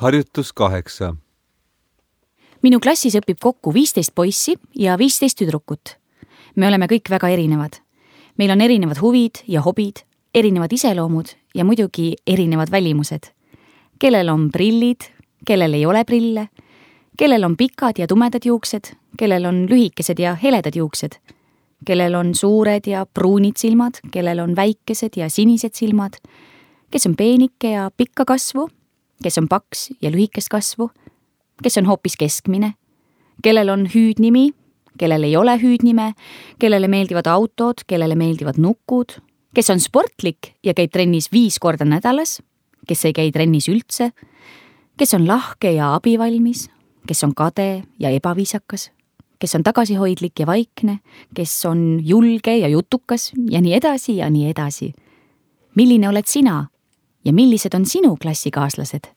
Harjutus 8. Minu klassis õpib kokku 15 poissi ja 15 tüdrukut. Me oleme kõik väga erinevad. Meil on erinevad huvid ja hobid, erinevad iseloomud ja muidugi erinevad välimused. Kellel on prillid, kellel ei ole prille, kellel on pikad ja tumedad juuksed, kellel on lühikesed ja heledad juuksed, kellel on suured ja pruunid silmad, kellel on väikesed ja sinised silmad, kes on peenike ja pikka kasvu, kes on paks ja lühikest kasvu, kes on hoopis keskmine, kellel on hüüdnimi, kellel ei ole hüüdnime, kellele meeldivad autod, kellele meeldivad nukud, kes on sportlik ja käib trennis 5 korda nädalas, kes ei käi trennis üldse, kes on lahke ja abivalmis, kes on kade ja ebaviisakas, kes on tagasihoidlik ja vaikne, kes on julge ja jutukas ja nii edasi ja nii edasi. Milline oled sina ja millised on sinu klassikaaslased?